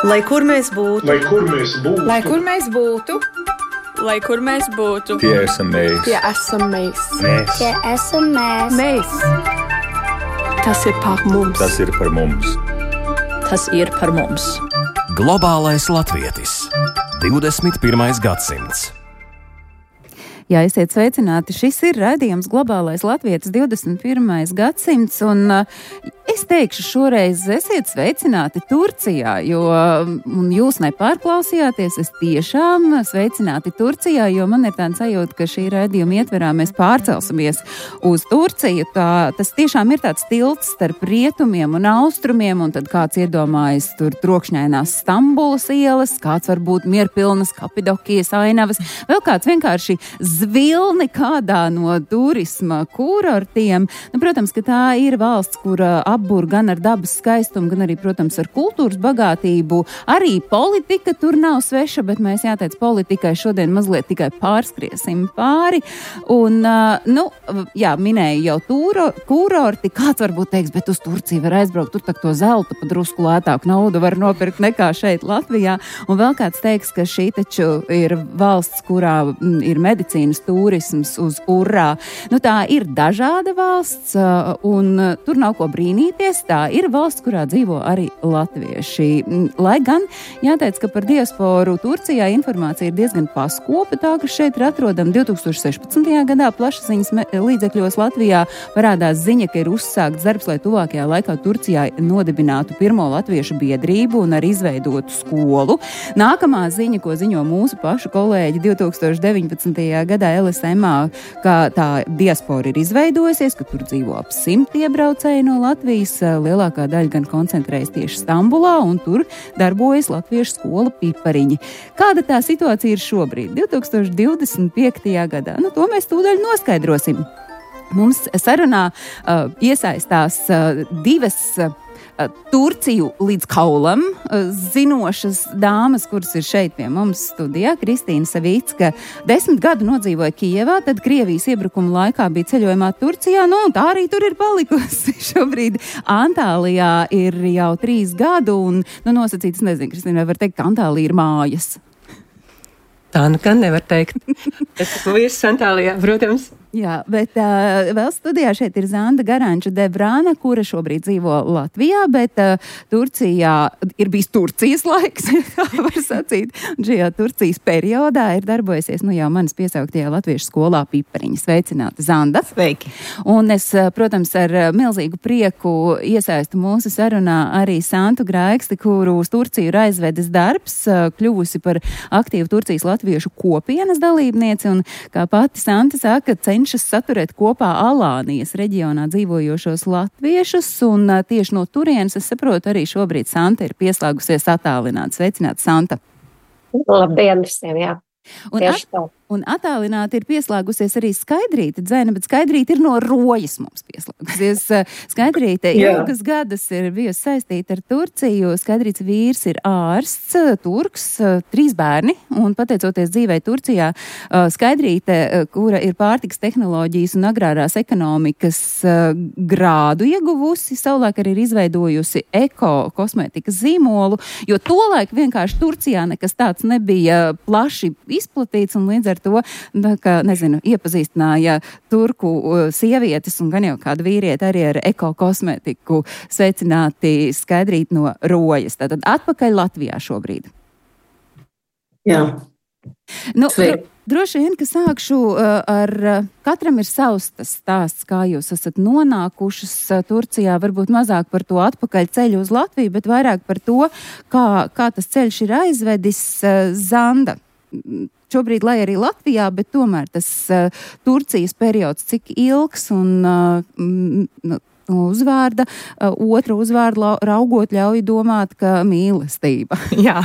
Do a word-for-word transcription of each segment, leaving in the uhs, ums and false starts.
Lai kur mēs būtu, lai kur mēs būtu, lai kur mēs būtu, lai kur mēs būtu, tie esam mēs. tie esam mēs. Mēs. Tie esam mēs. Mēs. Tas ir par mums. Tas ir par mums. tas ir par mums. Globālais latvietis. divdesmit pirmais gadsimts. Jā, esiet sveicināti. Šis ir raidījums Globālais latvietis divdesmit pirmais gadsimts, un uh, es teikšu šoreiz esiet sveicināti Turcijā, jo um, jūs nepārklausījāties, es tiešām sveicināti Turcijā, jo man ir tāds sajūta, ka šī raidījuma ietverā mēs pārcelsimies uz Turciju. Tā, tas tiešām ir tāds tilts starp rietumiem un austrumiem, un tad kāds iedomājas tur trokšņainās Stambulas ielas, kāds varbūt mierpilnas Kapadokijas ainavas, vēl kāds vienkārši zvilni kādā no turisma kurortiem. Nu, protams, ka tā ir valsts, kur apbur gan ar dabas skaistumu, gan arī, protams, ar kultūras bagātību. Arī politika tur nav sveša, bet mēs jāteic politikai šodien mazliet tikai pārskriesim pāri. Un, nu, jā, minēju jau tūro, kurorti. Kāds varbūt teiks, bet uz Turciju var aizbraukt, tur tak to zelta pa drusku lētāku naudu var nopirkt nekā šeit Latvijā. Un vēl kāds teiks, ka šī taču ir valsts, kurā ir medicīna turisms uz urā. Nu, tā ir dažāda valsts, un tur nav ko brīnīties. Tā ir valsts, kurā dzīvo arī latvieši. Lai gan jāteic, ka par diasporu Turcijā informācija ir diezgan paskopa, tā, ka šeit ir atrodama divi tūkstoši sešpadsmitajā gadā plašsaziņas līdzekļos Latvijā parādās ziņa, ka ir uzsākts darbs, lai tuvākajā laikā Turcijā nodibinātu pirmo latviešu biedrību un arī izveidotu skolu. Nākamā ziņa, ko ziņo mūsu pašu kolēģi divi tūkstoši deviņpadsmitajā gadā L S M A, ka tā diaspora ir izveidojusies, ka tur dzīvo ap simt iebraucēji no Latvijas, lielākā daļa gan koncentrējas tieši Stambulā, un tur darbojas latviešu skola Pipariņi. Kāda tā situācija ir šobrīd, divi tūkstoši divdesmit piektajā gadā? Nu, to mēs tūdaļ noskaidrosim. Mums sarunā uh, iesaistās uh, divas uh, Turciju līdz kaulam zinošas dāmas, kuras ir šeit pie mums studijā. Kristīna Savicka desmit gadu nodzīvoja Kijevā, tad Krievijas iebrukuma laikā bija ceļojumā Turcijā, nu un tā arī tur ir palikusi. Šobrīd Antālijā ir jau trīs gadu, un nu, nosacīts, nezinu, Kristīna, vai var teikt, ka Antālija ir mājas? Tā nu gan nevar teikt. Es esmu vīrs Antālijā, protams. Jā, bet uh, vēl studijā šeit ir Zanda Garanča Debrāna, kura šobrīd dzīvo Latvijā, bet uh, Turcijā ir bijis Turcijas laiks, tā var sacīt. Un šajā Turcijas periodā ir darbojusies, nu jau manas piesauktajā latviešu skolā Pipariņa. Sveicināta, Zanda. Sveiki. Un es, protams, ar milzīgu prieku iesaistu mūsu sarunā arī Santu Graiksti, kuru uz Turciju ir aizvedis darbs, kļuvusi par aktīvu Turcijas latviešu kopienas dalībnieci, un kā pati Santa saka, cenšas saturēt kopā Alānijas reģionā dzīvojošos latviešus, un tieši no turienes, es saprotu, arī šobrīd Santa ir pieslēgusies attālināti. Sveicināta, Santa! Labdien visiem, jā! Un, at, un attālināti ir pieslēgusies arī Skaidrīte Dzene, bet Skaidrīte ir no Rojas mums pieslēgusies. Skaidrīte ilgas gadus ir bijusi saistīta ar Turciju. Skaidrītes vīrs ir ārsts, turks, trīs bērni, un pateicoties dzīvei Turcijā, Skaidrīte, kura ir pārtikas tehnoloģijas un agrārās ekonomikas grādu ieguvusi, savulaik arī ir izveidojusi eko kosmētikas zīmolu, jo tolaik vienkārši Turcijā nekas tāds nebija plaši izplatīts, un līdz ar to, kā, nezinu, iepazīstināja turku sievietes un gan jau kādu vīrieti arī ar ekokosmētiku. Sveicināti, Skaidrīt no Rojas. Tātad atpakaļ Latvijā šobrīd. Jā. Nu, dro, droši vien, ka sākšu ar, katram ir savs tas stāsts, kā jūs esat nonākušas Turcijā, varbūt mazāk par to atpakaļ ceļu uz Latviju, bet vairāk par to, kā, kā tas ceļš ir aizvedis. Zanda. Šobrīd, lai arī Latvijā, bet tomēr tas uh, Turcijas periods cik ilgs un uh, m, uzvārda, uh, otra uzvārda raugot ļauj domāt, ka mīlestība. Jā,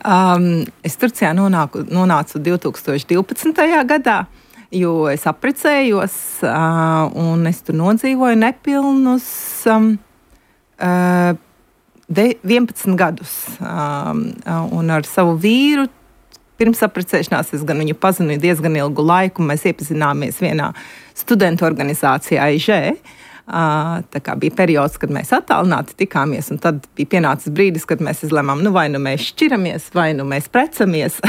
um, es Turcijā nonāku, nonācu divi tūkstoši divpadsmitajā gadā, jo es apprecējos uh, un es tur nodzīvoju nepilnus um, uh, de, vienpadsmit gadus um, un ar savu vīru. Pirms apprecēšanās es gan viņu pazinu diezgan ilgu laiku, mēs iepazināmies vienā studentu organizācijā I Ž. Tā kā bija periods, kad mēs attālināti tikāmies, un tad bija pienācis brīdis, kad mēs izlēmām, nu vai nu mēs šķiramies, vai nu mēs precamies.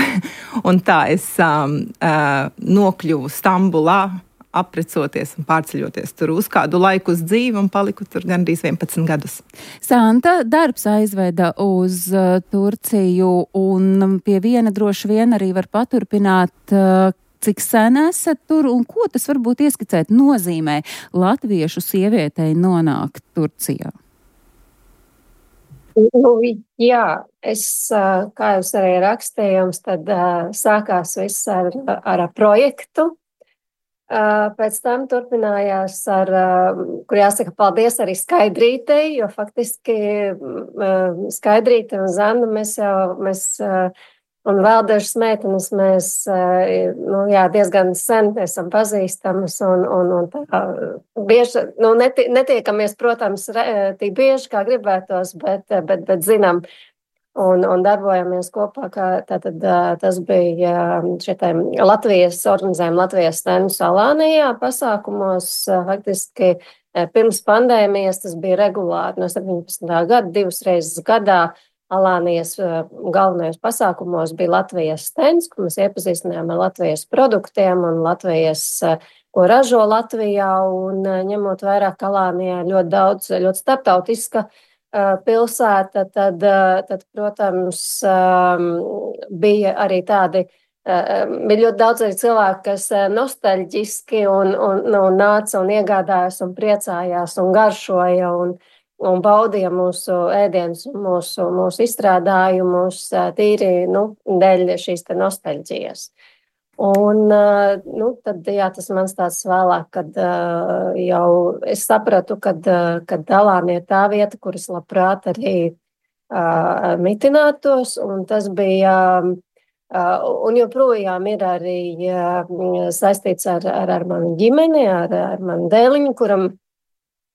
Un tā es um, uh, nokļuvu Stambulā, aprecoties un pārceļoties tur uz kādu laiku uz dzīvi un paliku tur gandrīz vienpadsmit gadus. Santa, darbs aizveda uz uh, Turciju un pie viena droši vien arī var paturpināt, uh, cik sen esat tur un ko tas varbūt ieskicēt nozīmē latviešu sievietei nonākt Turcijā? Nu, jā, es, kā jūs arī rakstījums, tad uh, sākās viss ar, ar projektu. Uh, pēc tam turpinājās ar, uh, kur jāsaka paldies arī Skaidrītei, jo faktiski uh, Skaidrīte un Zanda mēs jau, mēs, uh, un vēl dažas meitenes mēs, uh, nu jā, diezgan sen esam pazīstamas un, un, un tā bieži, nu neti, netiekamies, protams, re, tik bieži, kā gribētos, bet, bet, bet zinām, Un, un darbojamies kopā, kā tātad tas bija šitiem Latvijas, organizējam Latvijas stendu Alānijā pasākumos, faktiski pirms pandēmijas tas bija regulāri no septiņpadsmitā gada, divas reizes gadā Alānijas galvenajos pasākumos bija Latvijas stends, kur mēs iepazīstinājām ar Latvijas produktiem un Latvijas, ko ražo Latvijā, un ņemot vairāk Alānijā ļoti daudz, ļoti starptautiska pilsēta, tad, tad, protams, bija arī tādi, bija ļoti daudz arī cilvēki, kas nostalģiski un, un, un nāca un iegādājās un priecājās un garšoja un, un baudīja mūsu ēdienus un mūsu, mūsu izstrādājumus tīri, nu, dēļ šīs te nostalģijas. Un, nu, tad, jā, tas mans tāds vēlāk, kad uh, jau es sapratu, kad, uh, kad Alānija ir tā vieta, kuras labprāt arī uh, mitinātos, un tas bija, uh, un joprojām ir arī uh, saistīts ar, ar, ar manu ģimeni, ar, ar manu dēliņu, kuram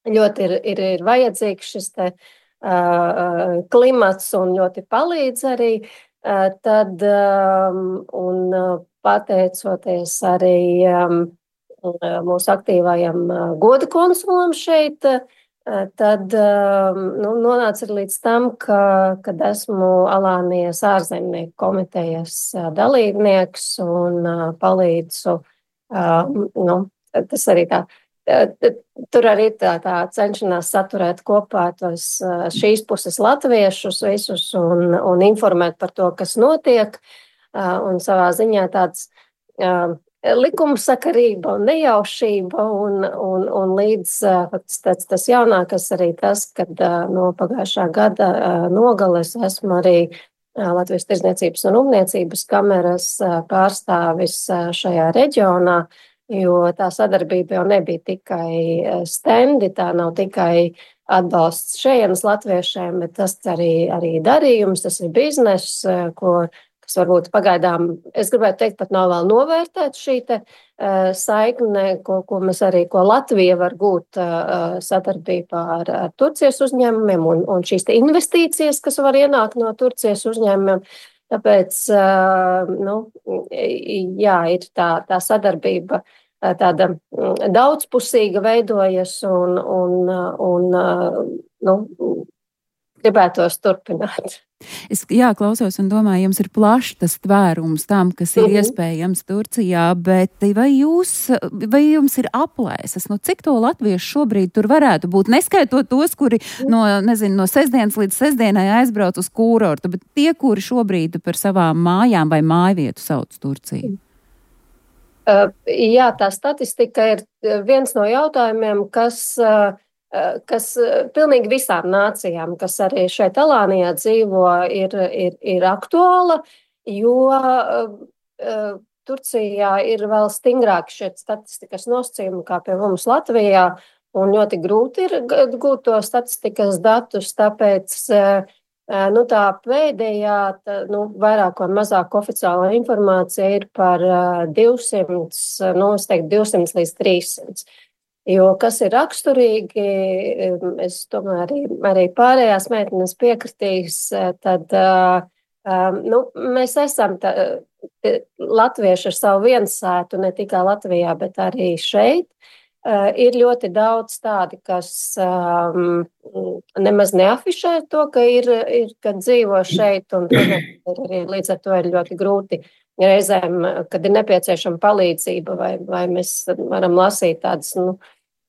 ļoti ir, ir, ir vajadzīgs šis te uh, klimats un ļoti palīdz arī, uh, tad, um, un, uh, pateicoties arī um, mūsu aktīvajam uh, goda konsulam šeit, uh, tad um, nu, nonāca līdz tam, ka, kad esmu Alānijas ārzemnieku komitejas uh, dalībnieks un uh, palīdzu, uh, nu, tas arī tā, uh, tur arī tā, tā cenšanās saturēt kopā tos uh, šīs puses latviešus visus un, un informēt par to, kas notiek. Un savā ziņā tāds uh, likumsakarība un nejaušība un, un, un līdz uh, tas, tas jaunākas arī tas, kad uh, no pagājušā gada uh, nogales esmu arī uh, Latvijas Tirdzniecības un Rūpniecības kameras uh, pārstāvis uh, šajā reģionā, jo tā sadarbība jau nebija tikai stendi, tā nav tikai atbalsts šejienes latviešiem, bet tas arī, arī darījums, tas ir bizness, uh, ko kas varbūt pagaidām, es gribētu teikt, pat nav vēl novērtēt šī te uh, saikne, ko, ko mēs arī, ko Latvija var gūt uh, sadarbībā ar, ar Turcijas uzņēmumiem un, un šīs te investīcijas, kas var ienākt no Turcijas uzņēmumiem. Tāpēc, uh, nu, jā, ir tā, tā sadarbība uh, tāda daudzpusīga veidojas un, un, un uh, nu, gribētos turpināt. Es, jā, klausos un domāju, jums ir plašs tas tvērums tam, kas ir mm-hmm. iespējams Turcijā, bet vai jūs, vai jums ir aplēses, nu cik to latviešu šobrīd tur varētu būt, neskaitot tos, kuri no, nezinu, no sestdienas līdz sestdienai aizbrauc uz kūrortu, bet tie, kuri šobrīd par savām mājām vai mājvietu sauc Turciju? Uh, jā, tā statistika ir viens no jautājumiem, kas... Uh, kas pilnīgi visām nācijām, kas arī šeit Alānijā dzīvo, ir, ir, ir aktuāla, jo uh, Turcijā ir vēl stingrāki šie statistikas nosacījumi kā pie mums Latvijā, un ļoti grūti ir gūt to statistikas datus, tāpēc uh, nu, tā pēdējā, tā, nu, vairāk vai mazāk oficiālā informācija ir par uh, divsimt, nu, es teiktu divsimt līdz trīssimt. Jo kas ir raksturīgi, es tomēr arī, arī pārējās meitenes piekritīs, tad nu, mēs esam tā, latvieši ar savu viensētu ne tikai Latvijā, bet arī šeit. Uh, ir ļoti daudz tādi, kas um, nemaz neafišē to, ka ir, ir kad dzīvo šeit, un protams, arī līdz ar to ir ļoti grūti reizēm, kad ir nepieciešama palīdzība, vai, vai mēs varam lasīt tādas, nu,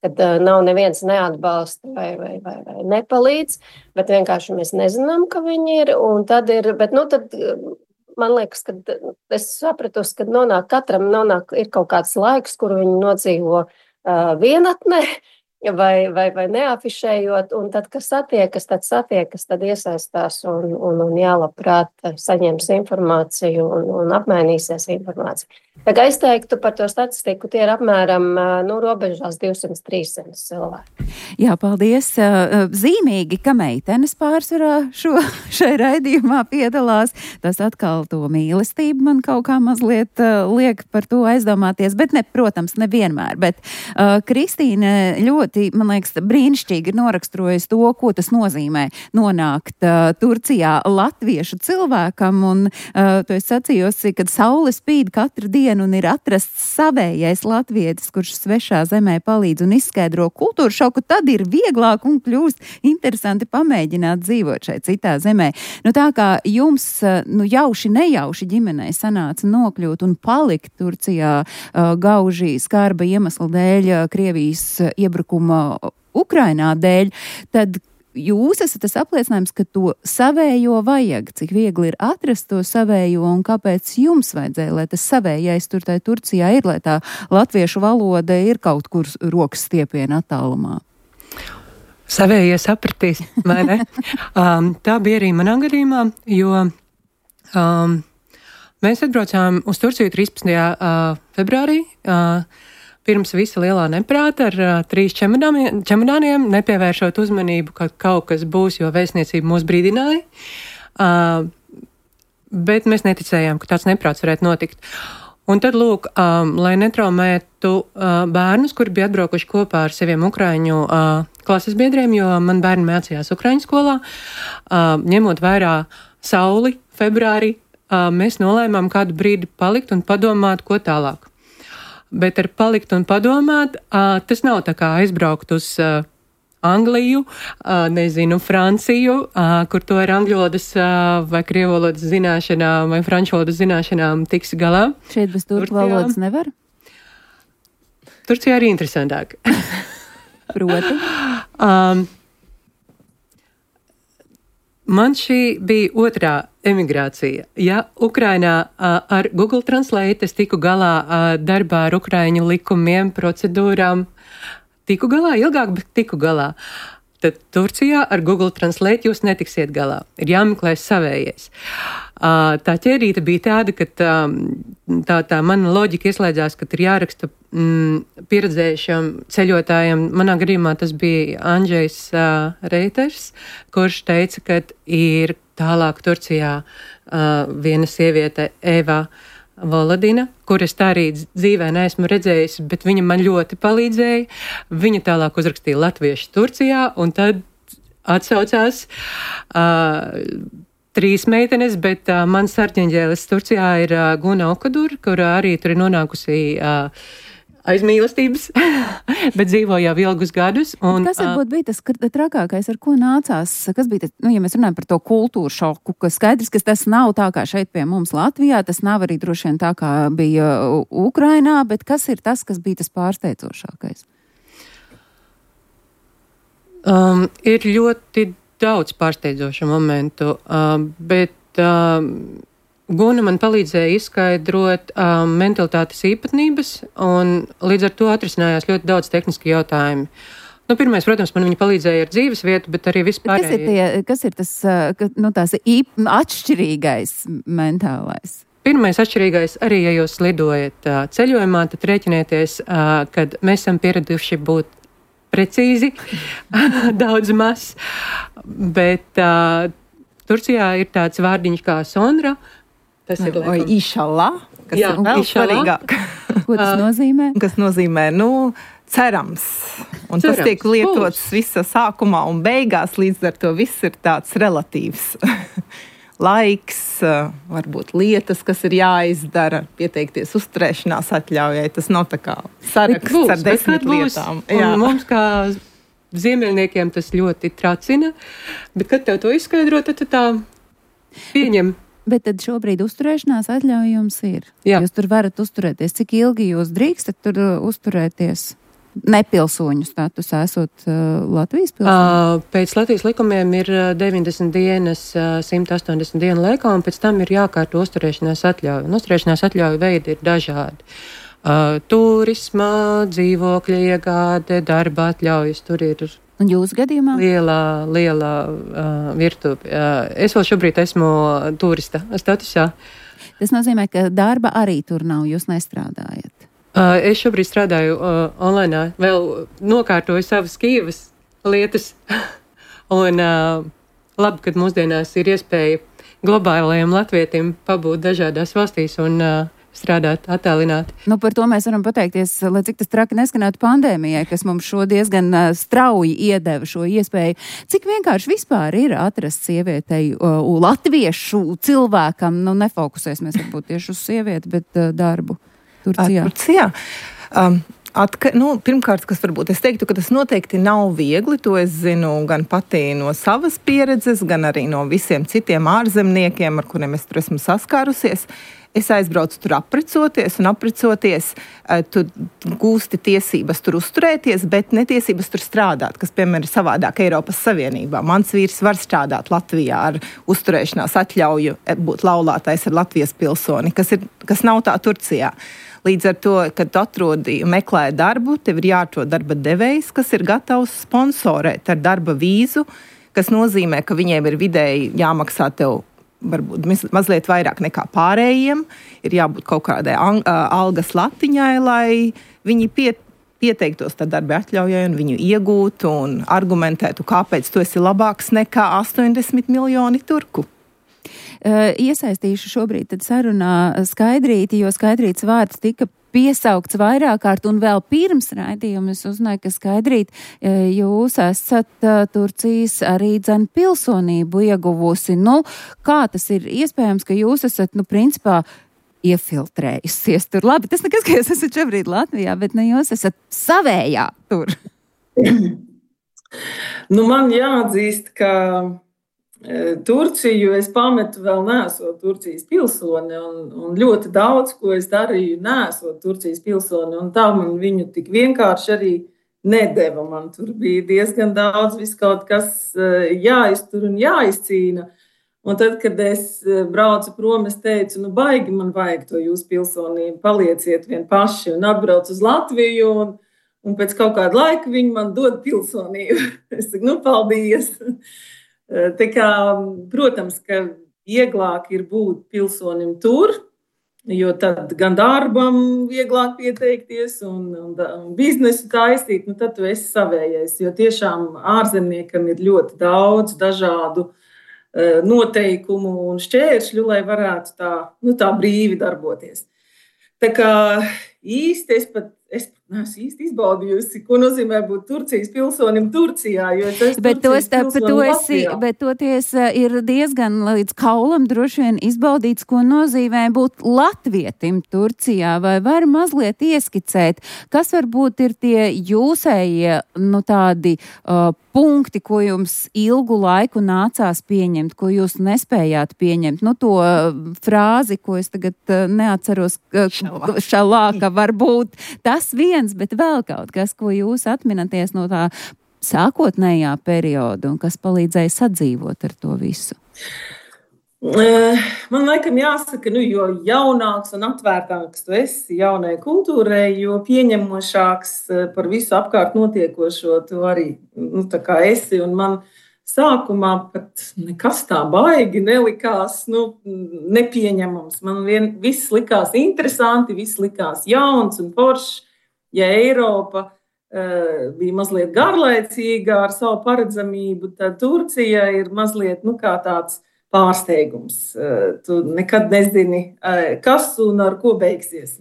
kad uh, nav neviens neatbalsta vai, vai, vai, vai nepalīdz, bet vienkārši mēs nezinām, ka viņi ir, un tad ir, bet, nu, tad man liekas, ka es sapratusi, ka nonāk, katram nonāk, ir kaut kāds laiks, kur viņi nodzīvo Uh, vienatnē vai, vai, vai neafišējot, un tad, kas satiekas, tad satiekas, tad iesaistās un, un, un jālabprāt saņems informāciju un, un apmainīsies informāciju. Tā kā es teiktu par to statistiku, tie ir apmēram, nu, robežās divsimt trīssimt cilvēki. Jā, paldies. Zīmīgi, ka meitenes pārsvarā šo, šai raidījumā piedalās. Tas atkal to mīlestību man kaut kā mazliet uh, liek par to aizdomāties, bet ne, protams, nevienmēr. Bet uh, Kristīne ļoti, man liekas, brīnišķīgi ir noraksturojusi to, ko tas nozīmē nonākt uh, Turcijā latviešu cilvēkam, un uh, to es sacījusi, kad saule spīd katru dienu un ir atrasts savējais latvietis, kurš svešā zemē palīdz un izskaidro kultūru šoku, tad ir vieglāk un kļūst interesanti pamēģināt dzīvot šeit citā zemē. Nu tā kā jums, nu jauši nejauši ģimenei sanāca nokļūt un palikt Turcijā uh, gauži skarba iemesla dēļ, Krievijas iebrukuma Ukrainā dēļ, tad jūs esat tas apliecinājums, ka to savējo vajag, cik viegli ir atrast to savējo un kāpēc jums vajadzēja, lai tas savējais tur tai Turcijā ir, lai tā latviešu valoda ir kaut kur rokas stiepiena attālumā. Savējie sapratīs, vai ne? um, tā bija arī manā gadījumā, jo um, mēs atbraucām uz Turciju trīspadsmitajā Uh, februārī, uh, pirms visa lielā neprāta ar uh, trīs čemodāniem, čemodāniem, nepievēršot uzmanību, ka kaut kas būs, jo vēstniecība mūs brīdināja. Uh, bet mēs neticējām, ka tāds neprāts varētu notikt. Un tad, lūk, um, lai netraumētu uh, bērnus, kuri bija atbraukuši kopā ar saviem ukraiņu uh, klases biedriem, jo man bērni mācījās ukraiņu skolā, uh, ņemot vērā sauli februārī, uh, mēs nolēmām kādu brīdi palikt un padomāt, ko tālāk. Bet ar palikt un padomāt, uh, tas nav tā kā aizbraukt uz uh, Angliju, uh, nezinu, Franciju, uh, kur to ar angļu valodas uh, vai krievu valodas zināšanām vai franču valodas zināšanām tiks galā. Šeit bez turku valodas nevar? Turcijā arī interesantāk. Proti? um, Man šī bija otrā emigrācija. Ja Ukrainā uh, ar Google Translate es tiku galā uh, darbā ar ukraiņu likumiem, procedūrām, tiku galā ilgāk, bet tiku galā. Tad Turcijā ar Google Translate jūs netiksiet galā. Ir jāmeklē savējais. Uh, tā ķērīte bija tāda, ka tā, tā, tā mana loģika ieslēdzās, ka ir jāraksta mm, pieredzējušam ceļotājam. Manā gadījumā tas bija Andžejs uh, Reiters, kurš teica, ka ir tālāk Turcijā uh, viena sieviete Eva Volodina, kuras tā arī dzīvē neesmu redzējusi, bet viņa man ļoti palīdzēja. Viņa tālāk uzrakstīja latviešu Turcijā, un tad atsaucās uh, trīs meitenes, bet uh, mans sarģeņģēlis Turcijā ir uh, Guna Okadur, kur uh, arī tur ir nonākusi uh, aiz mīlestības, bet dzīvo jau ilgus gadus. Un, kas varbūt bija tas trakākais, ar ko nācās? Kas bija tas, nu, ja mēs runājam par to kultūru šoku, ka skaidrs, ka tas nav tā kā šeit pie mums Latvijā, tas nav arī droši vien tā kā bija Ukrainā, bet kas ir tas, kas bija tas pārsteidzošākais? Um, ir ļoti daudz pārsteidzošu momentu, uh, bet uh, Guna man palīdzēja izskaidrot um, mentalitātes īpatnības, un līdz ar to atrisinājās ļoti daudz tehniski jautājumi. Nu, pirmais, protams, man viņa palīdzēja ar dzīves vietu, bet arī vispār. Kas ir, tie, kas ir tas, ka, nu, tās īp, atšķirīgais mentālais? Pirmais atšķirīgais, arī ja jūs lidojat uh, ceļojumā, tad rēķinieties, uh, kad mēs esam pieraduši būt precīzi, daudz maz, bet uh, Turcijā ir tāds vārdiņš kā sondra. Tas ir vai išalā, kas jā, ir vēl svarīgāk. Ko tas nozīmē? Kas nozīmē, nu, cerams. Un cerams, tas tiek lietots būs. Visa sākumā un beigās, līdz ar to viss ir tāds relatīvs. laiks, varbūt lietas, kas ir jāizdara, pieteikties uzturēšanās atļaujai. Tas nav tā kā saraksts būs, ar desmit lietām. Mums kā ziemeļniekiem tas ļoti tracina, bet kad tev to izskaidro, tad tu tā pieņem. Bet tad šobrīd uzturēšanās atļauja jums ir. Jā. Jūs tur varat uzturēties. Cik ilgi jūs drīkstat tur uzturēties? Nepilsoņu statusā esot uh, Latvijas pilsoņu? Uh, pēc Latvijas likumiem ir deviņdesmit dienas, uh, simt astoņdesmit dienu laikā, un pēc tam ir jākārto uzturēšanās atļauja. Un uzturēšanās atļauja veidi ir dažādi. Uh, turisma, dzīvokļa iegāde, darba atļaujas, tur ir un jūsu gadījumā? liela, liela uh, virtuve. Uh, es vēl šobrīd esmu turista statusā. Tas nozīmē, ka darba arī tur nav, jūs nestrādājat. Uh, es šobrīd strādāju uh, online, vēl nokārtoju savas Kīvas lietas, un uh, labi, kad mūsdienās ir iespēja globālajiem latvietim pabūt dažādās valstīs un uh, strādāt attālināti. Nu, par to mēs varam pateikties, lai cik tas traki neskanētu pandēmijai, kas mums šo diezgan uh, strauji iedeva šo iespēju. Cik vienkārši vispār ir atrast sievietei, uh, latviešu cilvēkam, nu nefokusēsimies varbūt tieši uz sievieti, bet uh, darbu. Turcijā. Turcijā. Um, atka, nu, pirmkārt, kas varbūt es teiktu, ka tas noteikti nav viegli, to es zinu gan pati no savas pieredzes, gan arī no visiem citiem ārzemniekiem, ar kuriem es tur esmu saskārusies. Es aizbraucu tur aprecoties, un aprecoties, tu gūsti tiesības tur uzturēties, bet netiesības tur strādāt, kas, piemēram, ir savādāk Eiropas Savienībā. Mans vīrs var strādāt Latvijā ar uzturēšanās atļauju, būt laulātais ar Latvijas pilsoni, kas, ir, kas nav tā Turcijā. Līdz ar to, kad tu atrodi un meklē darbu, tev ir jāatrod darba devējs, kas ir gatavs sponsorēt ar darba vīzu, kas nozīmē, ka viņiem ir vidēji jāmaksā tev varbūt mazliet vairāk nekā pārējiem, ir jābūt kaut kādai algas latiņai, lai viņi pie, pieteiktos tā darba atļaujai un viņu iegūtu un argumentētu, kāpēc tu esi labāks nekā astoņdesmit miljoni turku. Uh, iesaistīšu šobrīd tad sarunā Skaidrīti, jo Skaidrītas vārds tika piesaukts vairāk kārt, un vēl pirms raidījuma es uzzināju, ka Skaidrīt, jūs esat Turcijas arī dzen pilsonību ieguvusi. Nu, kā tas ir iespējams, ka jūs esat, nu, principā, iefiltrējusies tur? Labi, tas nekas, ka jūs esat šobrīd Latvijā, bet ne jūs esat savējā tur. Nu, man jāatzīst, ka Turciju es pametu vēl neesot Turcijas pilsoni, un, un ļoti daudz, ko es darīju, neesot Turcijas pilsoni, un tā man viņu tik vienkārši arī nedeva. Man tur bija diezgan daudz viskaut kas jāiztur un jāizcīna. Un tad, kad es braucu prom, es teicu, nu baigi man vajag to jūsu pilsonību, palieciet vien paši, un atbraucu uz Latviju, un, un pēc kaut kāda laika viņi man dod pilsonību. Es saku, nu paldies! Tā kā, protams, ka vieglāk ir būt pilsonim tur, jo tad gan darbam vieglāk pieteikties un, un, un biznesu taisīt, nu tad tu esi savējais, jo tiešām ārzemniekam ir ļoti daudz dažādu uh, noteikumu un šķēršļu, lai varētu tā, nu, tā brīvi darboties. Tā kā īsti es pat Es neesmu īsti izbaudījusi, ko nozīmē būt Turcijas pilsonim Turcijā, jo es esmu bet Turcijas tos, pilsonim to esi, Latvijā. Bet toties ir diezgan līdz kaulam droši vien izbaudīts, ko nozīmē būt latvietim Turcijā, vai var mazliet ieskicēt, kas varbūt ir tie jūsējie, nu tādi uh, punkti, ko jums ilgu laiku nācās pieņemt, ko jūs nespējāt pieņemt. Nu, to frāzi, ko es tagad uh, neatceros, uh, šalāka varbūt. Tas viens, bet vēl kaut kas, ko jūs atminaties no tā sākotnējā perioda un kas palīdzēja sadzīvot ar to visu? Man laikam jāsaka, nu, jo jaunāks un atvērtāks tu esi jaunai kultūrai, jo pieņemošāks par visu apkārt notiekošo tu arī, nu, tā kā esi. Un man sākumā pat nekas tā baigi nelikās, nu, nepieņemams. Man vien viss likās interesanti, viss likās jauns un foršs. Ja Eiropa uh, bija mazliet garlaicīga ar savu paredzamību, tad Turcija ir mazliet, nu, kā tāds pārsteigums. Uh, tu nekad nezini, uh, kas un ar ko beigsies.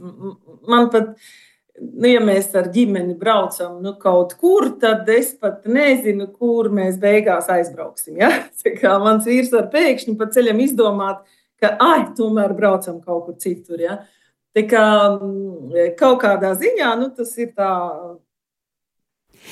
Man pat nu, ja mēs ar ģimeni braucam nu, kaut kur, tad es pat nezinu, kur mēs beigās aizbrauksim. Ja? Tā kā mans vīrs var pēkšņi pa ceļam izdomāt, ka, ai, tomēr braucam kaut kur citur. Ja? Tā kā kaut kādā ziņā, nu, tas ir tā...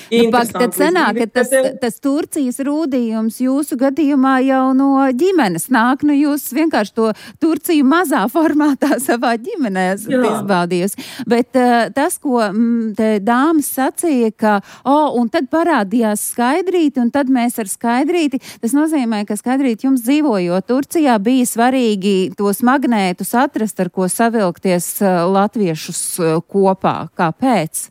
Nu, pak, tad sanāk, ka tas, tas Turcijas rūdījums jūsu gadījumā jau no ģimenes nāk, nu jūs vienkārši to Turciju mazā formātā savā ģimenē esat izbaudījusi. Bet uh, tas, ko m, te dāmas sacīja, ka, o, oh, un tad parādījās Skaidrīti, un tad mēs ar Skaidrīti, tas nozīmē, ka Skaidrīti jums dzīvojot Turcijā bija svarīgi tos magnētus atrast, ar ko savilkties uh, latviešus uh, kopā. Kāpēc?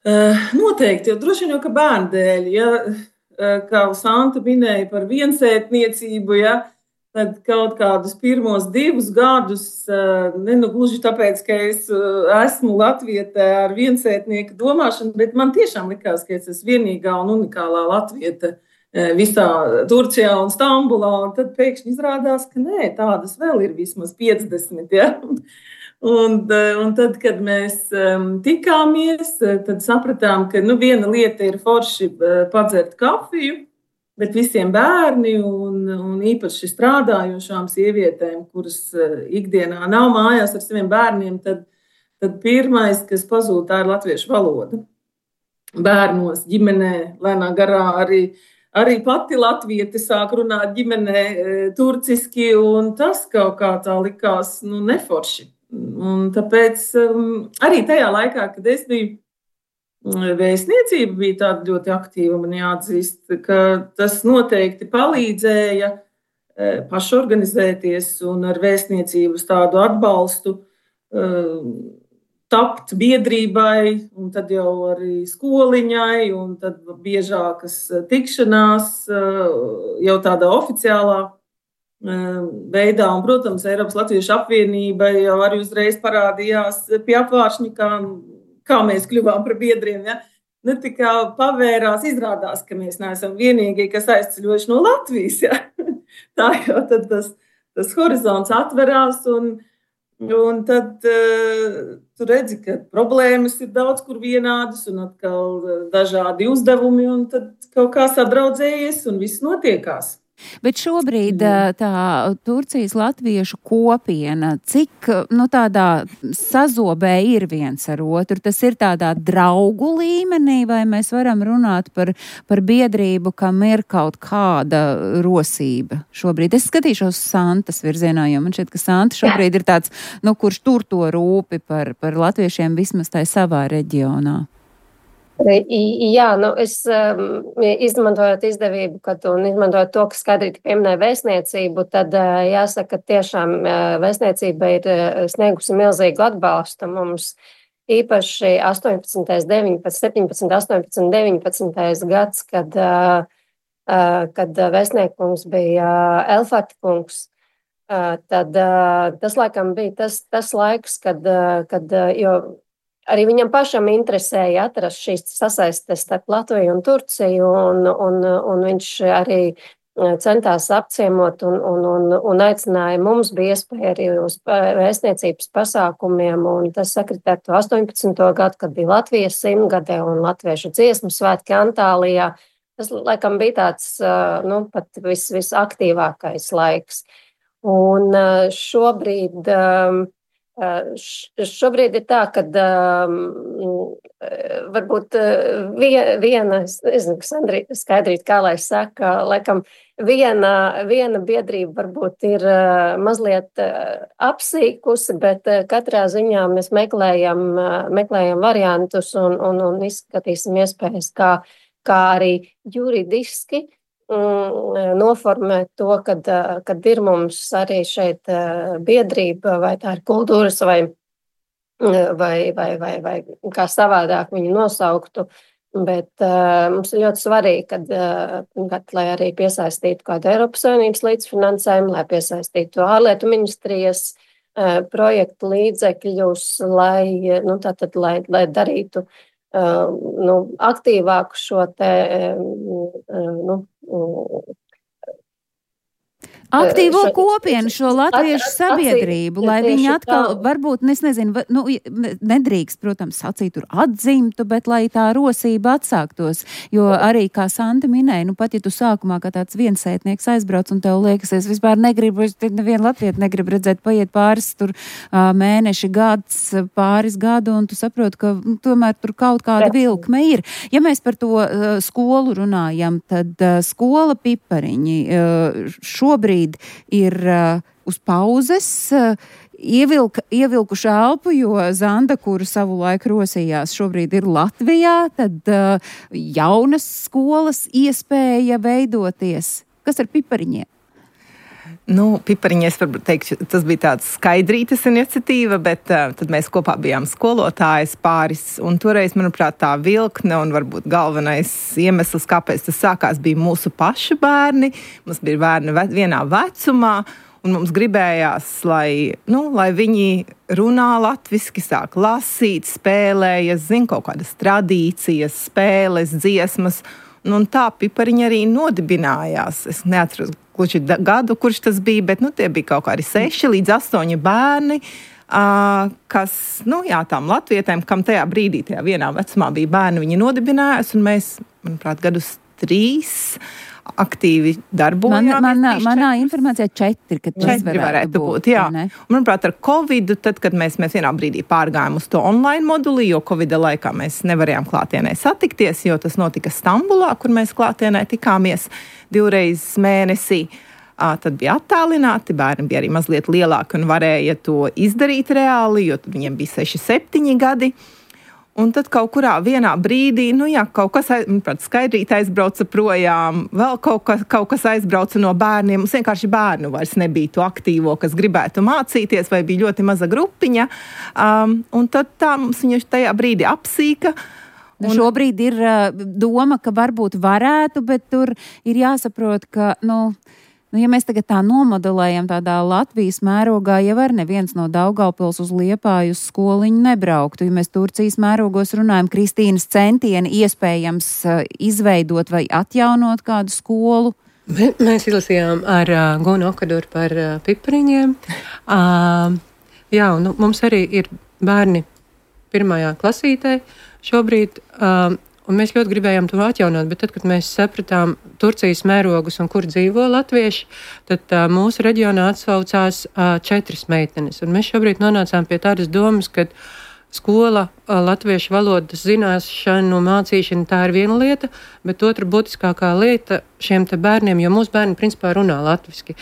Uh, noteikti, jo droši vien jau, ka bērnu dēļ, ja, uh, kā Santa minēja par viensētniecību, ja, tad kaut kādus pirmos divus gadus, uh, ne nu gluži tāpēc, ka es uh, esmu latviete ar viensētnieku domāšanu, bet man tiešām likās, ka es esmu vienīgā un unikālā latviete uh, visā Turcijā un Stambulā, un tad pēkšņi izrādās, ka nē, tādas vēl ir vismaz piecdesmit, ja. Un, un tad, kad mēs um, tikāmies, tad sapratām, ka nu, viena lieta ir forši padzert kafiju, bet visiem bērni un, un īpaši strādājošām sievietēm, kuras ikdienā nav mājās ar saviem bērniem, tad, tad pirmais, kas pazūd, tā ir latviešu valoda. Bērnos, ģimenē, lēnā garā arī, arī pati latviete sāk runāt ģimenē turciski, un tas kaut kā tā likās nu, neforši. Un tāpēc um, arī tajā laikā, kad es biju vēstniecība, bija tāda ļoti aktīva, man jāatzīst, ka tas noteikti palīdzēja e, pašorganizēties un ar vēstniecības tādu atbalstu e, tapt biedrībai, un tad jau arī skoliņai, un tad biežākas tikšanās e, jau tādā oficiālā veidā, un, protams, Eiropas Latviešu apvienība jau arī uzreiz parādījās pie apvāršņa, kā, kā mēs kļuvām par biedriem. Ja? Ne tikai pavērās, izrādās, ka mēs neesam vienīgie, kas aizceļojuši no Latvijas. Ja? Tā jau tad tas, tas horizonts atverās, un, un tad uh, tu redzi, ka problēmas ir daudz kur vienādas, un atkal dažādi uzdevumi, un tad kaut kā sadraudzējies, un viss notiekās. Bet šobrīd tā Turcijas latviešu kopiena, cik nu, tādā sazobē ir viens ar otru? Tas ir tādā draugu līmenī, vai mēs varam runāt par, par biedrību, kam ir kaut kāda rosība šobrīd? Es skatīšos Santas virzienā, jo man šķiet, ka Santa šobrīd ir tāds, nu, kurš tur to rūpi par, par latviešiem vismaz tai savā reģionā. Jā, nu es um, izmantojot izdevību, kad un izmantojot to, ka Skaidrīti pieminēja vēstniecību, tad uh, jāsaka, ka tiešām uh, vēstniecība ir uh, sniegusi milzīgu atbalstu mums. Īpaši astoņpadsmitais, deviņpadsmitais, septiņpadsmitais, astoņpadsmitais, deviņpadsmitais gads, kad, uh, uh, kad vēstniekums bija uh, Elfata kungs. Uh, tad uh, tas laikam bija tas, tas laiks, kad, uh, kad uh, jo arī viņam pašam interesēja atrast šīs sasaistes starp Latviju un Turciju, un, un, un viņš arī centās apciemot un, un, un, un aicināja. Mums bija iespēja arī uz vēstniecības pasākumiem, un tas sakritē ar to astoņpadsmito gadu, kad bija Latvijas simtgade un latviešu dziesmu svētki Antālijā. Tas, laikam, bija tāds, nu, pat vis, visaktīvākais laiks. Un šobrīd... Šobrīd ir tā, ka um, varbūt viena, es nezinu, kas Skaidrīt, kā lai saka, laikam viena, viena biedrība varbūt ir uh, mazliet uh, apsīkusi, bet uh, katrā ziņā mēs meklējam, uh, meklējam variantus un, un, un izskatīsim iespējas, kā, kā arī juridiski noformēt to, kad, kad ir mums arī šeit biedrība, vai tā ir kultūras, vai, vai, vai, vai, vai kā savādāk viņu nosauktu. Bet uh, mums ir ļoti svarīgi, kad, uh, kad, lai arī piesaistītu kādu Eiropas Savienības līdzfinansējumu, lai piesaistītu ārlietu ministrijas uh, projektu līdzekļus, lai, nu, tātad, lai, lai darītu uh, nu, aktīvāku šo te uh, nu, aktīvo šo- kopienu, šo latviešu at- at- sabiedrību, atzīt, lai tieši viņi atkal, tā. varbūt, es nezinu, va- nu, ne- nedrīkst, protams, sacīt tur atzimtu, bet lai tā rosība atsāktos. Jo arī, kā Santa minēja, nu pat ja tu sākumā kā tāds viensētnieks aizbrauc un tev liekas, es vispār negribu, es nevienu latvietu negribu redzēt, paiet pāris tur ā, mēneši, gads, pāris gadu, un tu saproti, ka nu, tomēr tur kaut kāda vilkme ir. Ja mēs par to uh, skolu runājam, tad uh, skola Pipariņi uh, šobrīd ir uh, uz pauzes, uh, ievilka, ievilkuši elpu, jo Zanda, kuru savu laiku rosījās, šobrīd ir Latvijā, tad uh, jaunas skolas iespēja veidoties. Kas ar Pipariņiem? Nu, Pipariņi, es varbūt teikšu, tas bija tāds skaidrītas iniciatīva, bet uh, tad mēs kopā bijām skolotājas pāris, un toreiz, manuprāt, tā vilkne un varbūt galvenais iemesls, kāpēc tas sākās, bija mūsu pašu bērni. Mums bija bērni ve- vienā vecumā, un mums gribējās, lai, nu, lai viņi runā latviski, sāk lasīt, spēlējas, zin kaut kādas tradīcijas, spēles, dziesmas, un, un tā Pipariņi arī nodibinājās. Es neatceros gluži da- gadu, kurš tas bija, bet nu, tie bija kaut kādi seši līdz astoņi bērni, uh, kas, nu jā, tām latvietēm, kam tajā brīdī, tajā vienā vecumā bija bērni, viņi nodibinājās, un mēs, manuprāt, gadus trīs aktīvi darbojāmies. Man, manā, tieši manā četrus. informācijā četri, ka tas Četri varētu, varētu būt. būt, jā. vai ne? Un, manuprāt, ar Covidu, tad, kad mēs, mēs vienā brīdī pārgājām uz to online moduli, jo Covida laikā mēs nevarējām klātienē satikties, jo tas notika Stambulā, kur mēs klātienē tikāmies divreiz mēnesī. Ā, tad bija attālināti, bērni bija arī mazliet lielāki un varēja to izdarīt reāli, jo tad viņiem bija seši, septiņi gadi. Un tad kaut kurā vienā brīdī, nu jā, kaut kas, aiz, manuprāt, skaidrīt aizbrauca projām, vēl kaut kas, kaut kas aizbrauca no bērniem. Mums vienkārši bērnu vairs nebija to aktīvo, kas gribētu mācīties, vai bija ļoti maza grupiņa. Um, un tad tā mums viņa tajā brīdī apsīka. Nu, šobrīd ir uh, doma, ka varbūt varētu, bet tur ir jāsaprot, ka, nu, nu, ja mēs tagad tā nomodelējam tādā Latvijas mērogā, jau var neviens no Daugavpils uz Liepāju uz skoliņu nebrauktu. Ja mēs Turcijas mērogos runājam, Kristīnas centieni iespējams uh, izveidot vai atjaunot kādu skolu. Mē- Mēs izlasījām ar uh, Gunu Okaduru par uh, Pipariņiem. Uh, jā, un nu, mums arī ir bērni pirmajā klasītē šobrīd. Uh, Un mēs ļoti gribējām to atjaunot, bet tad, kad mēs sapratām Turcijas mērogus un kur dzīvo latvieši, tad uh, mūsu reģionā atsaucās uh, četras meitenes. Un mēs šobrīd nonācām pie tādas domas, ka skola, uh, latviešu valodas zināšanu, mācīšana, tā ir viena lieta, bet otra būtiskākā lieta šiem te bērniem, jo mūsu bērni principā runā latviski,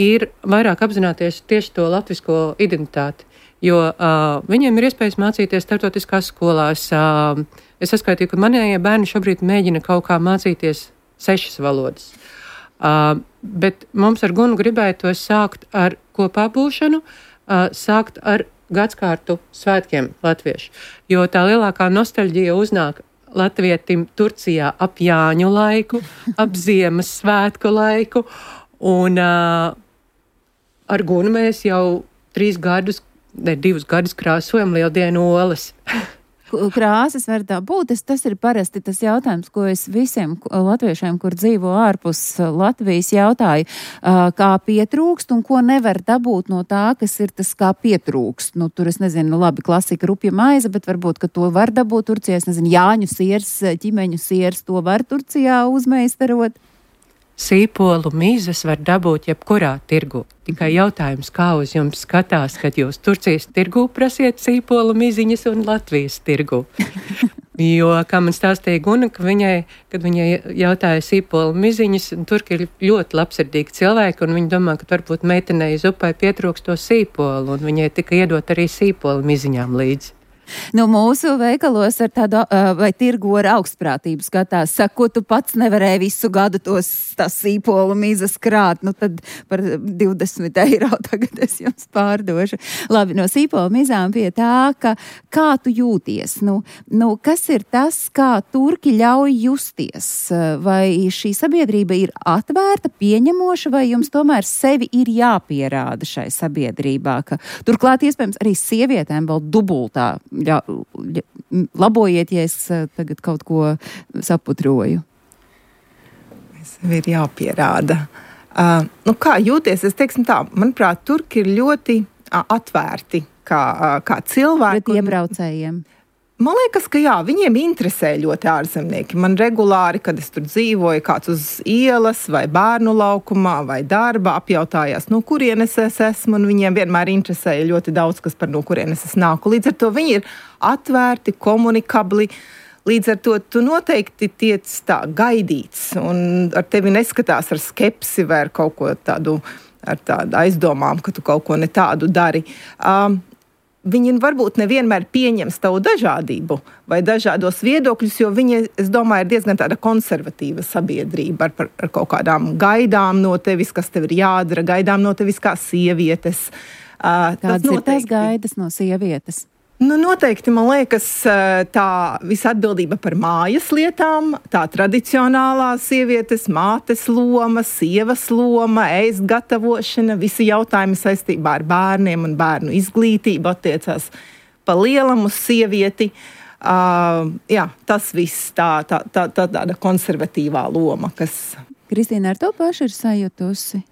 ir vairāk apzināties tieši to latvisko identitāti. Jo uh, viņiem ir iespējas mācīties starptautiskās skolās. Uh, es saskaitīju, ka manējie bērni šobrīd mēģina kaut kā mācīties sešas valodas. Uh, bet mums ar Gunu gribētos sākt ar kopā būšanu, uh, sākt ar gadskārtu svētkiem latviešu. Jo tā lielākā nostalģija uznāk latvietim Turcijā ap Jāņu laiku, ap Ziemas svētku laiku. Un uh, ar Gunu mēs jau trīs gadus Ne, divus gadus krāsojam lieldienu olas. Krāsas var tā būt. Es, tas ir parasti tas jautājums, ko es visiem latviešiem, kur dzīvo ārpus Latvijas, jautāju, kā pietrūkst un ko nevar dabūt no tā, kas ir tas, kā pietrūkst. Nu, tur es nezinu, labi, klasika rupja maize, bet varbūt, ka to var dabūt Turcijā. Es nezinu, Jāņu siers, ķimeņu siers, to var Turcijā uzmeistarot. Sīpolu mizas var dabūt jebkurā tirgu. Tikai jautājums, kā uz jums skatās, kad jūs Turcijas tirgu prasiet sīpolu miziņas un Latvijas tirgu. Jo, kā man stāstīja Guna, ka viņai, kad viņai jautāja sīpolu miziņas, turki ir ļoti labsirdīgi cilvēki, un viņi domā, ka varbūt meitenei uz upai pietrūkst to sīpolu, un viņai tika iedot arī sīpolu miziņām līdzi. Nu, mūsu veikalos ar tādu, uh, vai tirgu ar augstprātību skatās, saka, ko tu pats nevarēji visu gadu tos tās sīpolu mizas krāt, nu tad par divdesmit eiro tagad es jums pārdošu. Labi, no sīpolu mizām pie tā, ka kā tu jūties, nu, nu kas ir tas, kā turki ļauj justies, vai šī sabiedrība ir atvērta, pieņemoša, vai jums tomēr sevi ir jāpierāda šai sabiedrībā, ka turklāt iespējams arī sievietēm vēl dubultā. Jā, labojiet, ja es tagad kaut ko saputroju. Sev ir jāpierāda. Uh, nu kā jūties? Es teiksim tā, manuprāt, turki ir ļoti uh, atvērti kā, uh, kā cilvēki. Pret iebraucējiem. Man liekas, ka jā, viņiem interesē ļoti ārzemnieki. Man regulāri, kad es tur dzīvoju, kāds uz ielas vai bērnu laukumā vai darba apjautājās, no kurienes es esmu, un viņiem vienmēr interesēja ļoti daudz, kas par no kurienes es nāku. Līdz ar to viņi ir atvērti, komunikabli. Līdz ar to tu noteikti tiec tā gaidīts, un ar tevi neskatās ar skepsi vai ar kaut ko tādu, ar tādu aizdomām, ka tu kaut ko ne tādu dari. Um, Viņi varbūt nevienmēr pieņems tavu dažādību vai dažādos viedokļus, jo viņi, es domāju, ir diezgan tāda konservatīva sabiedrība ar, ar kaut kādām gaidām no tevis, kas tev ir jādara, gaidām no tevis kā sievietes. Uh, Kādas ir tās gaidas no sievietes? Nu, noteikti, man liekas, tā visa atbildība par mājas lietām, tā tradicionālā sievietes, mātes loma, sievas loma, ēst gatavošana, visi jautājumi saistībā ar bērniem un bērnu izglītību attiecās pa lielam uz sievieti. Uh, jā, tas viss tā, tā, tā, tā tāda konservatīvā loma, kas... Kristīna, ar to pašu ir sajutusi?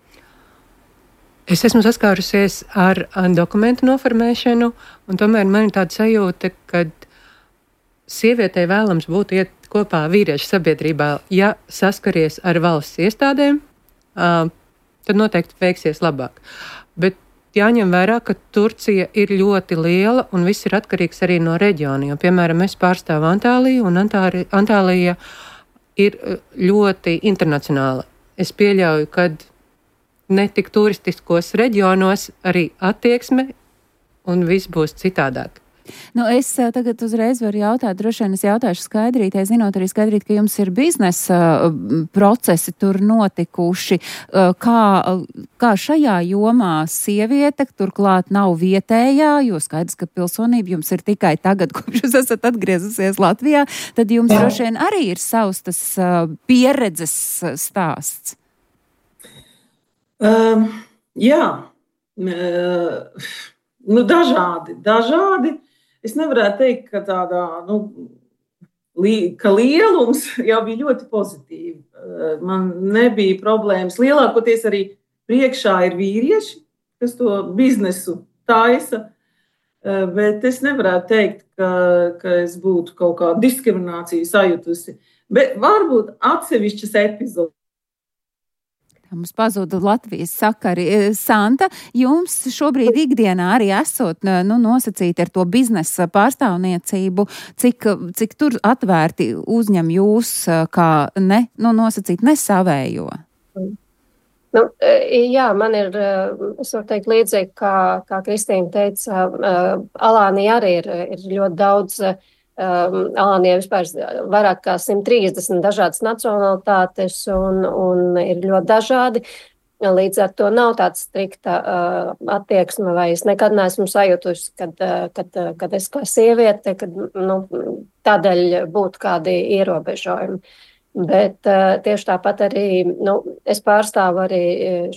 Es esmu saskārusies ar, ar dokumentu noformēšanu, un tomēr man ir tāda sajūta, ka sievietei vēlams būt iet kopā vīriešu sabiedrībā. Ja saskaries ar valsts iestādēm, tad noteikti veiksies labāk. Bet jāņem vērā, ka Turcija ir ļoti liela, un viss ir atkarīgs arī no reģiona. Jo, piemēram, es pārstāvu Antāliju, un Antāri, Antālija ir ļoti internacionāla. Es pieļauju, ka ne tik turistiskos reģionos arī attieksme un viss būs citādāk. Nu, es tagad uzreiz varu jautāt, droši vien es jautāšu Skaidrītei, zinot arī Skaidrīt, ka jums ir biznesa procesi tur notikuši. Kā, kā šajā jomā sieviete, turklāt nav vietējā, jo skaidrs, ka pilsonība jums ir tikai tagad, kopš jūs esat atgriezusies Latvijā, tad jums droši vien arī ir savs tas pieredzes stāsts. Um, jā, uh, nu, dažādi, dažādi. Es nevarētu teikt, ka tādā, nu, li, ka lielums jau bija ļoti pozitīvi. Uh, man nebija problēmas. Lielākoties arī priekšā ir vīrieši, kas to biznesu taisa, uh, bet es nevarētu teikt, ka, ka es būtu kaut kādu diskrimināciju sajutusi. Bet varbūt atsevišķas epizodes. Mums pazuda Latvijas sakari. Santa, jums šobrīd ikdienā arī esot nu, nosacīti ar to biznesa pārstāvniecību, cik, cik tur atvērti uzņem jūs kā ne, nu, nosacīt nesavējo? Nu, jā, man ir, es varu teikt līdzīgi, kā, kā Kristīna teica, Alānija arī ir, ir ļoti daudz. Um, Alānijā vispār vairāk kā simt trīsdesmit dažādas nacionalitātes un, un ir ļoti dažādi. Līdz ar to nav tāds strikta uh, attieksme, vai es nekad neesmu sajutusi, kad, uh, kad, uh, kad es kā sieviete, kad nu, tādēļ būtu kādi ierobežojumi. Bet uh, tieši tāpat arī, nu, es pārstāvu arī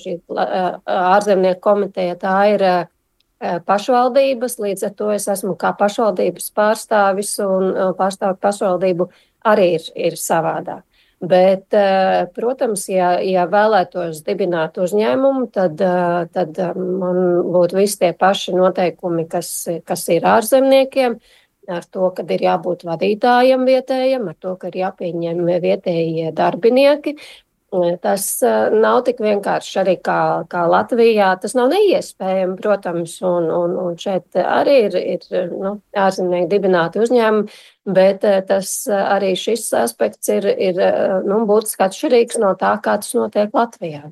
šī uh, ārzemnieku komiteja, tā ir uh, pašvaldības, līdz ar to es esmu kā pašvaldības pārstāvis un pārstāvu pašvaldību arī ir, ir savādāk. Bet, protams, ja, ja vēlētos dibināt uzņēmumu, tad, tad man būtu visi tie paši noteikumi, kas, kas ir ārzemniekiem, ar to, ka ir jābūt vadītājiem vietējiem, ar to, ka ir jāpieņem vietējie darbinieki. Tas nav tik vienkārši arī kā, kā Latvijā. Tas nav neiespējami, protams, un, un, un šeit arī ir, ir nu, ārzemnieki dibināti uzņēmumi, bet tas arī šis aspekts ir, ir nu, būtiski atšķirīgs no tā, kā tas notiek Latvijā.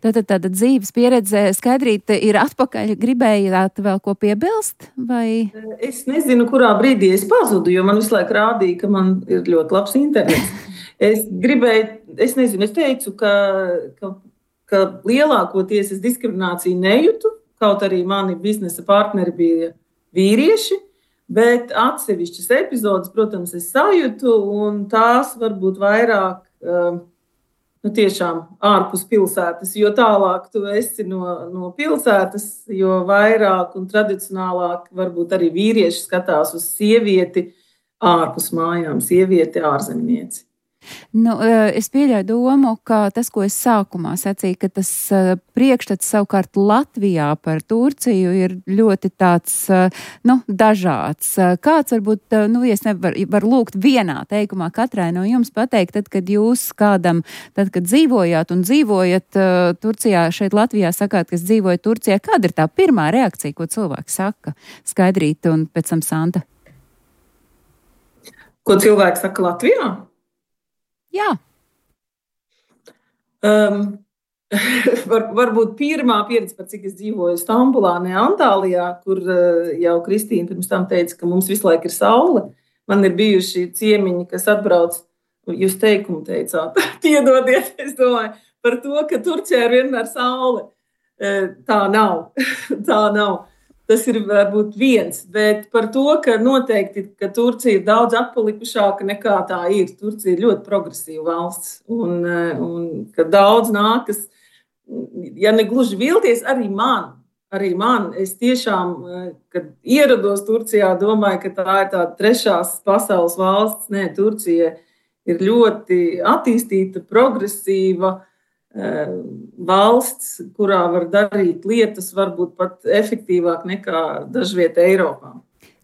Tātad tāda dzīves pieredze Skaidrīte ir atpakaļ. Gribējāt vēl ko piebilst? Vai? Es nezinu, kurā brīdī es pazudu, jo man visu laiku rādīja, ka man ir ļoti labs internets. Es gribēju, es nezinu, es teicu, ka, ka, ka lielākoties es diskrimināciju nejūtu, kaut arī mani biznesa partneri bija vīrieši, bet atsevišķas epizodes, protams, es sajūtu, un tās varbūt vairāk, nu tiešām ārpus pilsētas, jo tālāk tu esi no, no pilsētas, jo vairāk un tradicionālāk varbūt arī vīrieši skatās uz sievieti ārpus mājām, sievieti ārzemnieci. Nu, es pieļauju domu, ka tas, ko es sākumā sacīju, ka tas priekšstats savukārt Latvijā par Turciju ir ļoti tāds, nu, dažāds. Kāds varbūt, nu, es nevaru var lūgt vienā teikumā katrai no jums pateikt, tad, kad jūs kādam, tad, kad dzīvojāt un dzīvojat Turcijā, šeit Latvijā sakāt, kas dzīvoja Turcijā, kāda ir tā pirmā reakcija, ko cilvēki saka? Skaidrīt un pēc tam Santa. Ko cilvēki saka Latvijā? Jā. Um, var, varbūt pirmā pieredze, par cik es dzīvoju Stambulā, ne Antālijā, kur uh, jau Kristīna pirms tam teica, ka mums visu laiku ir saule. Man ir bijuši ciemiņi, kas atbrauc, jūs teikumu teicāt, piedodiet, es domāju, par to, ka Turcijā ir vienmēr saule. Uh, tā nav, tā nav. Tas ir varbūt viens, bet par to, ka noteikti, ka Turcija ir daudz atpalikušāka nekā tā ir. Turcija ir ļoti progresīva valsts un, un ka daudz nākas, ja ne gluži vilties, arī man, arī man. Es tiešām, kad ierados Turcijā, domāju, ka tā ir tāda trešās pasaules valsts. Nē, Turcija ir ļoti attīstīta, progresīva valsts, kurā var darīt lietas varbūt pat efektīvāk nekā dažviet Eiropā.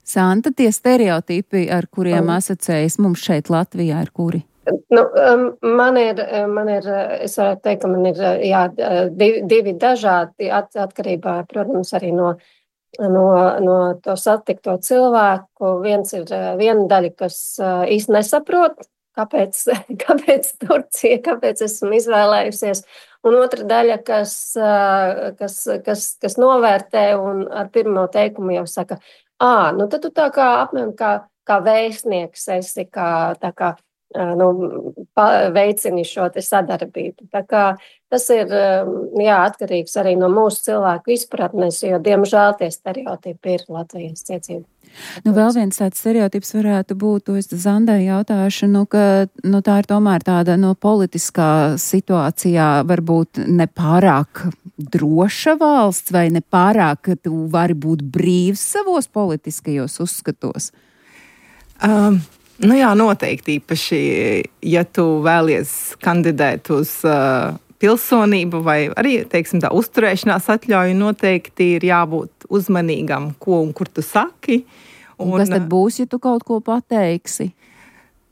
Santa, tie stereotipi, ar kuriem asociējas mums šeit Latvijā, ir kuri? Nu, man ir, man ir, es varētu teikt, ka man ir jā, divi, divi dažādi at, atkarībā, protams, arī no, no, no to satikto cilvēku. Viens ir viena daļa, kas īsti nesaprot, Kāpēc, kāpēc Turcija, kāpēc esmu izvēlējusies, un otra daļa, kas, kas, kas, kas novērtē un ar pirmo teikumu jau saka, ā, nu tad tu tā kā apmēram kā, kā vēstnieks esi, kā, tā kā nu, veicini šo te sadarbību. Tā kā tas ir jā, atkarīgs arī no mūsu cilvēku izpratnes, jo diemžēl tie stereotipi ir Latvijas ciecība. Nu, vēl viens tāds stereotips varētu būt, to es Zandai jautāšu, nu, ka nu, tā ir tomēr tāda no politiskā situācijā varbūt nepārāk droša valsts vai nepārāk, ka tu vari būt brīvs savos politiskajos uzskatos? Um. Nu jā, noteikti īpaši, ja tu vēlies kandidēt uz uh, pilsonību vai arī, teiksim tā, uzturēšanās atļauju, noteikti ir jābūt uzmanīgam, ko un kur tu saki. Un, un kas tad būs, ja tu kaut ko pateiksi?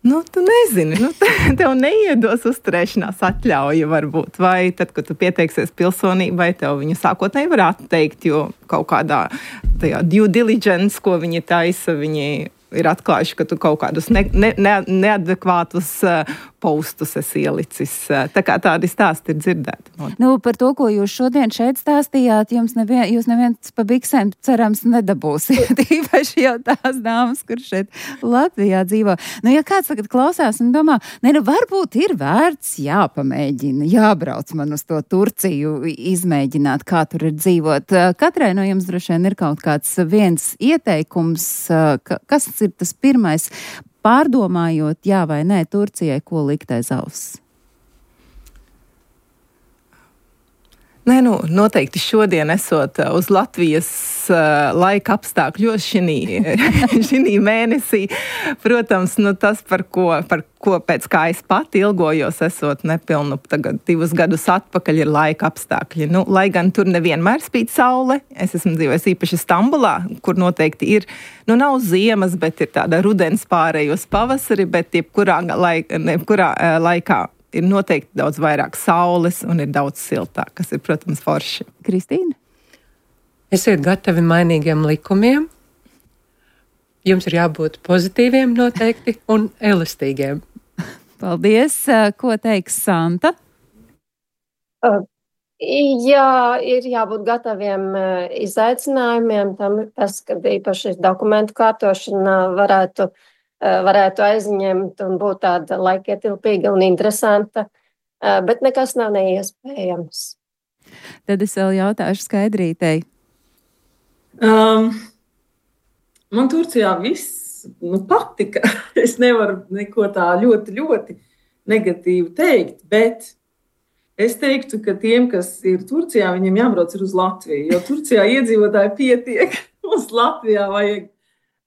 Nu, tu nezini, nu, tev neiedos uzturēšanās atļauju varbūt, vai tad, kad tu pieteiksies pilsonībai, tev viņu sākotnēji var atteikt, jo kaut kādā tajā due diligence, ko viņi taisa, viņi ir atklājuši, ka tu kaut kādus ne, ne, ne, neadekvātus uh, postus esi ielicis. Tā kā tādi stāsti ir dzirdēti. Nu, par to, ko jūs šodien šeit stāstījāt, jums nevien, jūs neviens pa biksēm cerams nedabūsiet. Īpaši jau tās dāmas, kur šeit Latvijā dzīvo. Nu, ja kāds tagad klausās un domā, ne, nu, varbūt ir vērts jāpamēģina, jābrauc man uz to Turciju, izmēģināt, kā tur ir dzīvot. Katrai no jums droši vien ir kaut kāds viens ieteikums, kas ir tas pirmais, pārdomājot, jā vai nē, Turcijai, ko likt aiz auss? Nē, nu, noteikti šodien esot uz Latvijas uh, laika apstākļos šī mēnesī. Protams, nu, tas, par ko, par ko pēc kā es pati ilgojos, esot nepilnu tagad divus gadus atpakaļ, ir laika apstākļi. Nu, lai gan tur nevienmēr spīd saule, es esmu dzīvojis īpaši Stambulā, kur noteikti ir, nu, nav ziemas, bet ir tāda rudens pārējos pavasari, bet jebkurā, laik, jebkurā uh, laikā ir noteikti daudz vairāk saules un ir daudz siltāk, kas ir, protams, forši. Kristīna? Esiet gatavi mainīgiem likumiem. Jums ir jābūt pozitīviem noteikti un elastīgiem. Paldies. Ko teiks Santa? Uh, jā, ir jābūt gataviem izaicinājumiem. Tam, tas, kad īpaši dokumentu kārtošana varētu varētu aizņemt un būt tāda laikietilpīga un interesanta, bet nekas nav neiespējams. Tad es vēl jautāšu Skaidrītei. Um, man Turcijā viss nu, patika. Es nevaru neko tā ļoti, ļoti negatīvu teikt, bet es teiktu, ka tiem, kas ir Turcijā, viņiem jābrauc ir uz Latviju, jo Turcijā iedzīvotāji pietiek, uz Latvijā vajag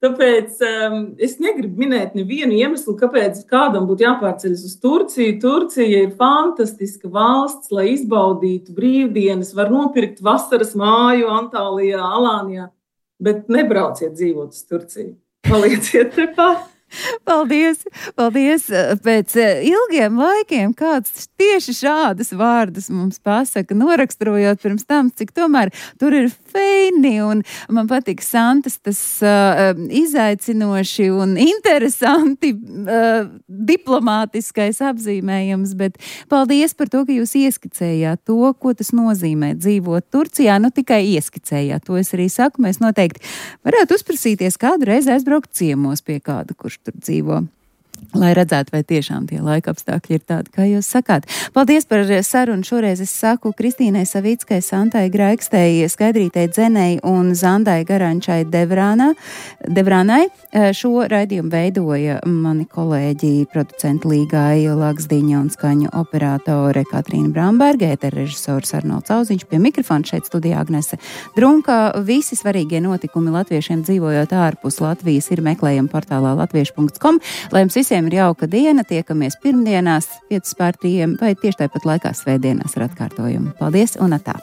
Tāpēc um, es negribu minēt nevienu iemeslu, kāpēc kādam būtu jāpārceļas uz Turciju. Turcija ir fantastiska valsts, lai izbaudītu brīvdienas, var nopirkt vasaras māju Antālijā, Alānijā, bet nebrauciet dzīvot uz Turciju. Palieciet tepat. Paldies, paldies. Pēc ilgiem laikiem kāds tieši šādas vārdas mums pasaka, noraksturojot pirms tam, cik tomēr tur ir feini, un man patīk Santas tas uh, izaicinoši un interesanti uh, diplomātiskais apzīmējums, bet paldies par to, ka jūs ieskicējāt to, ko tas nozīmē dzīvot Turcijā, nu tikai ieskicējāt, to es arī saku, mēs noteikti varētu uzprasīties kādu reizi aizbraukt ciemos pie kāda, kurš tur dzīvo, lai redzētu, vai tiešām tie laika apstākļi ir tādi, kā jūs sakāt. Paldies par sarunu. Šoreiz es saku Kristīnai Savickai, Santai Graikstei, Skaidrītei Dzenei un Zandai Garančai Devrānā, Devrānai. Šo raidījumu veidoja mani kolēģi, producenti Līgai Laksdiņa un skaņu operātore Katrīna Bramberga, ētera režisors Arnolds Auziņš, pie mikrofona šeit studijā Agnese Drunka. Visi svarīgie notikumi latviešiem dzīvojot ārpus Latvijas ir meklējami portālā latviešu punkts com. Lai jums visiem ir jauka diena, tiekamies pirmdienās, piecas pār trījiem vai tieši tāpat laikā svētdienās ar atkārtojumu. Paldies un atā!